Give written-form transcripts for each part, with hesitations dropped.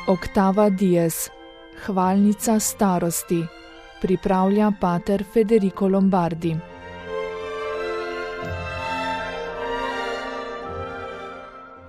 Octava dies, hvalnica starosti, pripravlja pater Federico Lombardi.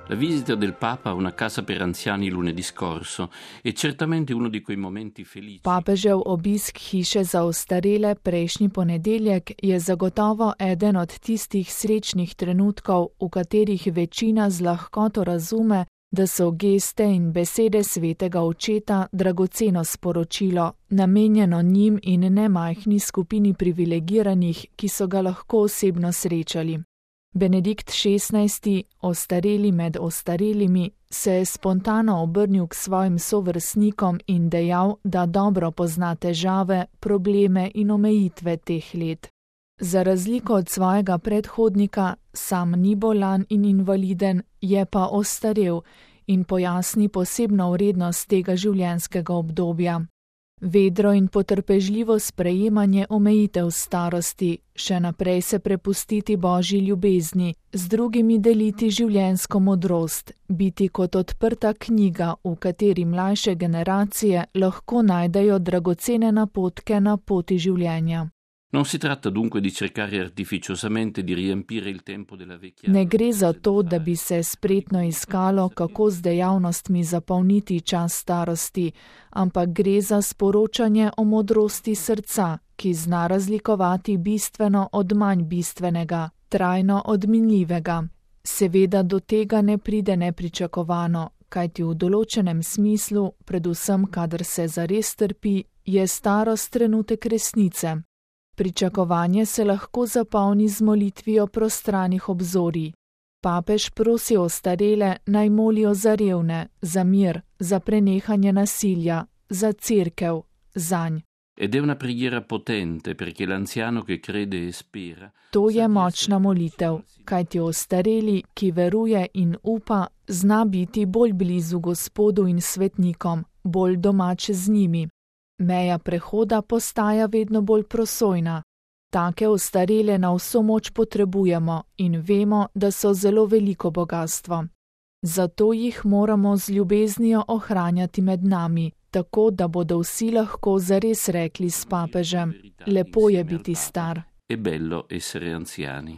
La visita del Papa a una casa per anziani lunedì scorso è certamente uno di quei momenti felici. Papežev obisk hiše za ostarele prejšnji ponedeljek je zagotovo eden od tistih srečnih trenutkov, v katerih večina z lahkoto razume, da so geste in besede svetega očeta dragoceno sporočilo, namenjeno njim in nemajhni skupini privilegiranih, ki so ga lahko osebno srečali. Benedikt XVI, ostareli med ostarelimi, se je spontano obrnil k svojim sovrstnikom in dejal, da dobro pozna težave, probleme in omejitve teh let. Za razliko od svojega predhodnika, sam ni bolan in invaliden, je pa ostarel in pojasni posebno vrednost tega življenjskega obdobja. Vedro in potrpežljivo sprejemanje omejitev starosti, še naprej se prepustiti Božji ljubezni, z drugimi deliti življenjsko modrost, biti kot odprta knjiga, v kateri mlajše generacije lahko najdejo dragocene napotke na poti življenja. Non si tratta dunque di cercare artificiosamente di riempire il tempo della vecchia. Ne gre za to, da bi se spretno iskalo, kako z dejavnostmi zapolniti čas starosti, ampak gre za sporočanje o modrosti srca, ki zna razlikovati bistveno od manj bistvenega, trajno od minljivega. Seveda do tega ne pride nepričakovano, kajti v določenem smislu, predvsem kadar se zares trpi, je starost trenutek resnice. Pričakovanje se lahko zapolni z molitvijo prostranih obzorij. Papež prosi ostarele naj molijo za revne, za mir, za prenehanje nasilja, za cerkev, zanj. Ed è una preghiera potente perché l'anziano che crede e spera. To je močna molitev, kajti ostareli, ki veruje in upa, zna biti bolj blizu Gospodu in svetnikom, bolj domač z njimi. Meja prehoda postaja vedno bolj prosojna. Take ostarele na vso moč potrebujemo in vemo, da so zelo veliko bogastvo. Zato jih moramo z ljubeznijo ohranjati med nami, tako da bodo vsi lahko zares rekli s papežem: lepo je biti star. È bello essere anziani.